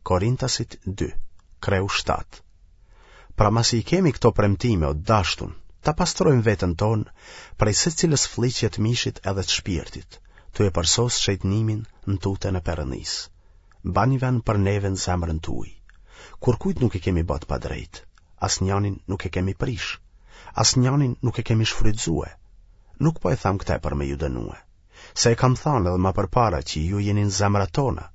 Korintasit 2, kreu 7. Pra masi i kemi këto premtime o t'dashtun, ta pastrojmë veten tonë prej secilës flliqje të mishit edhe të shpirtit, tu e përsosë shejtnimin në tutën e Perëndisë. Bani vend për neve në zemrën tuaj. Kurkujt nuk i kemi ba të padrejtë, asnjanin nuk e kemi prish, asnjanin nuk e kemi shfrytëzue. Nuk po e tham këte për me ju dënue. Se e kam thanë edhe ma përpara që ju jeni në zemrat tona,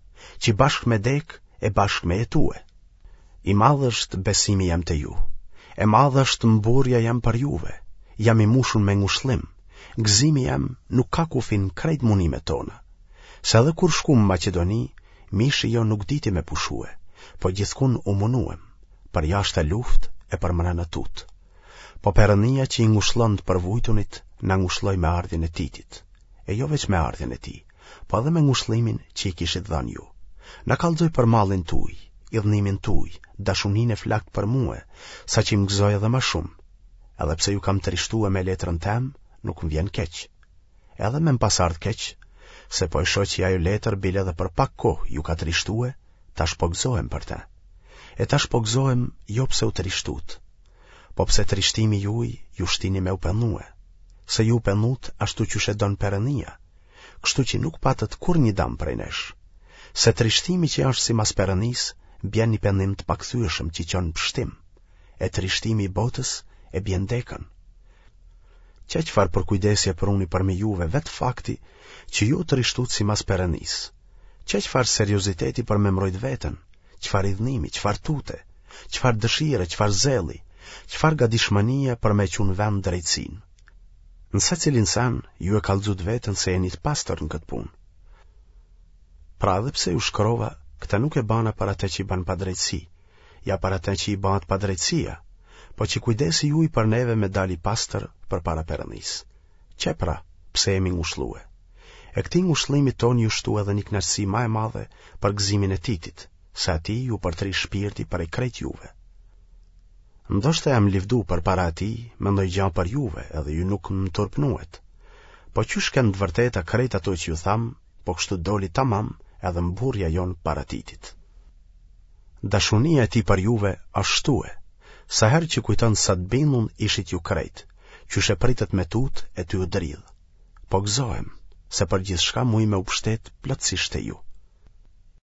që bashkë me dekë e bashkë me jetue. I madh është besimi jem te ju, e madhe është mburrja jem për juve, jam i mushun me ngushllim, gëzimi jem nuk ka kufi në krejt munimet tona. Se edhe kur shkum në Maqedoni, mishi jonë nuk diti me pushue, po gjithkun u munuem, përjashta luftë e përmrena tutë. Po Perëndia që i ngushllon të përvujtunit, na ngushlloi me ardhjen e Titit. E jo veç me ardhjen e tij, po edhe me ngushllimin që i kishit dhënë ju. Na kallxoi për mallin tuj, idhnimin tuj, dashuninë e flaktë për mue, saqë më gëzoi edhe ma shumë. Edhe pse ju kam trishtue me letrën tem, nuk më vjen keq. Edhe me më pas ardhë keq, se po e shoh që ajo letër bile edhe për pak kohë ju ka trishtue, tash po gëzohem për te. E tash po gëzohem jo pse u trishtut, po pse trishtimi juj ju shtini me u penue, se ju u penut ashtu qysh e don Perëndia, kështu që nuk patët kurrnjë dam prej nesh. Se trishtimi që është simas Perëndisë, bjen një pendim të pakthyeshëm që çon në pështim, e trishtimi i botës e bjen dekën. Qe çfarë përkujdesje pruni përmi juve vetë fakti që ju u trishtut simas Perëndisë. Qe çfarë serioziteti për me mbrojt veten, çfarë idhnimi, çfarë tute, çfarë dëshire, çfarë zelli, çfarë gatishmënie për me çu në vend drejtësinë. Në secilin sen, ju e kallxut veten se jeni të pastër në këtë punë. Pra edhe pse ju shkrova, këtë nuk e bana për atë që i bën padrejtësi, ja për atë që i bëhet padrejtësia, po që kujdesi juj për neve me dal i pastër përpara Perëndisë. Qe pra, pse jemi ngushllue. E këtij ngushëllimit tonë iu shtu edhe një kënaqësi ma e madhe për gëzimin e Titit, se atij iu përtri shpirti prej krejt juve. Ndoshta jam livdu përpara atij me ndonjë gja për juve edhe ju nuk më turpnuet. Po qysh kenë të vërteta krejt ato që ju thamë, po kështu doli tamam edhe mburrja jonë para Titit. Dashunia e tij për juve është shtue, sa herë që kujton sa të bindun ishit ju krejt, qysh e pritët me tutë e tu u dridhë. Po gëzohem, se për gjithçka muj me u pështet plotësisht te ju.